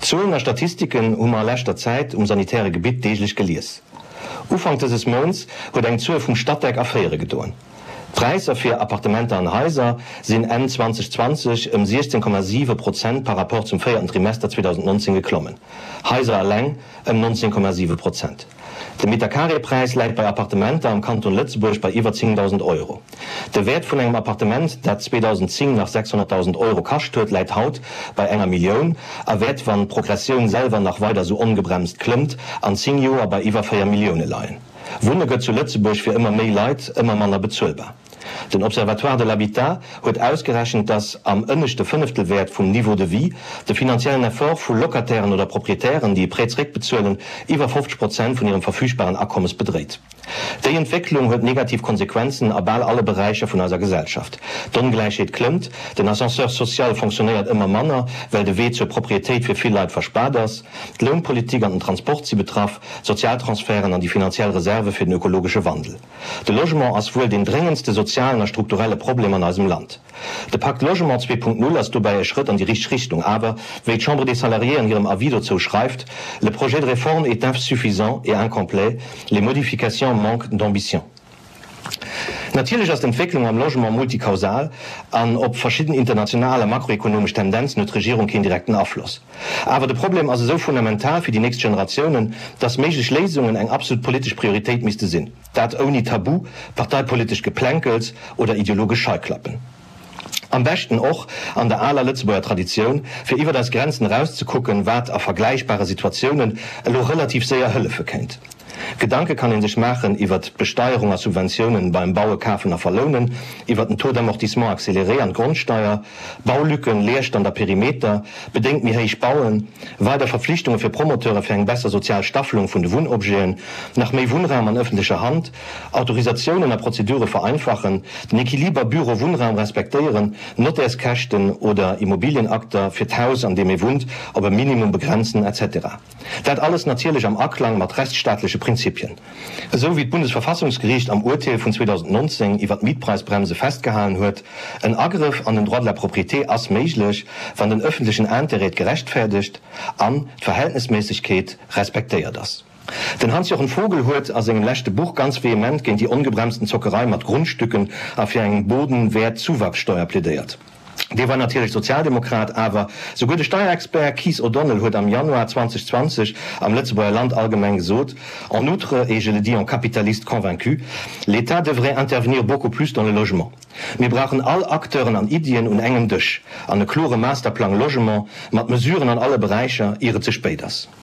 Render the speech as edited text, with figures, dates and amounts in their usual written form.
Zuelen a Statistiken hu mer a leschter Zäit um sanitäre Gebitt deeglech gelies. Ufank dëses Mounts huet eng Zuel vum Statec erféiere gedoen. D'Präisser fir Appartementer an Haiser sinn Enn 2020 ëm 16,7 Prozent par Rapport zum véierten Trimester 2019 geklommen, Haiser eleng ëm 19,7 Prozent. De Metercarré-Präis läit bei Appartementer am Kanton Lëtzebuerg bei iwwer 10.000 Euro. De Wäert vun engem Appartement, dat 2010 nach 600.000 Euro kascht huet, läit haut bei enger Millioun a wäert, wann d'Progressioun selwer nach weider sou ongebremst klëmmt, an 10 Joer bei iwwer 4 Millioune leien. Wunne gëtt zu Lëtzebuerg fir ëmmer méi Leit ëmmer manner bezuelbar. Den Observatoire de l'habitat huet ausgerechent, dass am ënneschte Fënneftelwäert vum Niveau de vie de finanziellen Effort vu Locatairen oder Proprietären, déi e Prêt zeréckbezuelen, iwwer 50 Prozent vun hirem verfügbaren Akommes bedréit. Déi Entwécklung huet negativ Konsequenzen a bal alle Beräicher vun eiser Gesellschaft. D'Ongläichheet klëmmt, den Ascenseur social fonctionnéiert ëmmer manner, well de Wee zur Proprietéit fir vill Leit verspaart ass, d'Lounpolitik an den Transport si betraff, d'Sozialtransferten an déi finanziell Reserve fir den ökologesche Wandel. De Logement ass wuel deen dréngendste sozialen a strukturelle Problem an eisem Land. De Pacte Logement 2.0 ass dobäi e Schrëtt an déi richteg Richtung, awer, wéi d'Chambre des Salariés an hirem Avis dozou schreift, Le projet de réforme est insuffisant et incomplet, les modifications manquent d'ambition. Natierlech ass d'Entwécklung am Logement multikausal an op verschidden international a makroekonomesch Tendenzen huet d'Regierung keen direkten Afloss. Awer de Problem ass esou fundamental fir déi nächst Generatiounen, dass méiglech Léisungen eng absolut politesch Prioritéit misste sinn. Dat ouni Tabu, parteipolitescht Geplänkels oder ideologesch Scheiklappen. Am beschten och an der aler Lëtzebuerger Traditioun, fir iwwert eis Grenzen erauszekucken, wat a vergläichbare Situatiounen elo relativ séier hëllefe kéint. Gedanke kann ee sech maachen iwwert d'Besteierung a Subventiounen beim Baue, Kafen a Verlounen, iwwert den Taux d'amortissement accéléré an d'Grondsteier, Baulücken, Leerstand a Perimeter, bedéngt méi héich Bauen, weider Verpflichtunge fir Promoteure fir eng besser sozial Staffelung vun de Wunnobjeten, nach méi Wunnraum an ëffentlecher Hand, Autorisatiounen a Prozedure vereinfachen, den Equiliber Büro-Wunnraum respektéieren, Nottärskäschten oder Immobilienakter fir d'Haus an deem ee wunnt op e Minimum begrenzen, etc. Dat alles natierlech am Aklang mat rechtsstaatleche Prinzipien. Esou wéi d'Bundesverfassungsgeriicht am Urteel vun 2019 iwwer d'Mietpreisbremse festgehalen huet, En Agrëff an den Droit de la propriété ass méiglech, wann den öffentlechen Intérêt et gerechtfäerdegt an d'Verhältnesméissegkeet respektéiert ass. Den Hans-Jochen Vogel huet a sengem leschte Buch ganz vehement géint déi ongebremsten Zockerei mat Grundstücken a fir eng Bodenwertzuwachssteuer plädéiert. Dee war natierlech Sozialdemokrat, awer souguer de Steierexpert Keith O'Donnell huet am Januar 2020 am Lëtzebuerger Land allgemeng gesot, En outre, et je le dis en capitaliste convaincu, l'État devrait intervenir beaucoup plus dans le logement. Mir brauchen all Acteuren an Iddien un engem Dësch an e klore Masterplang Logement mat Mesuren an alle Beräicher, ier et ze spéit ass.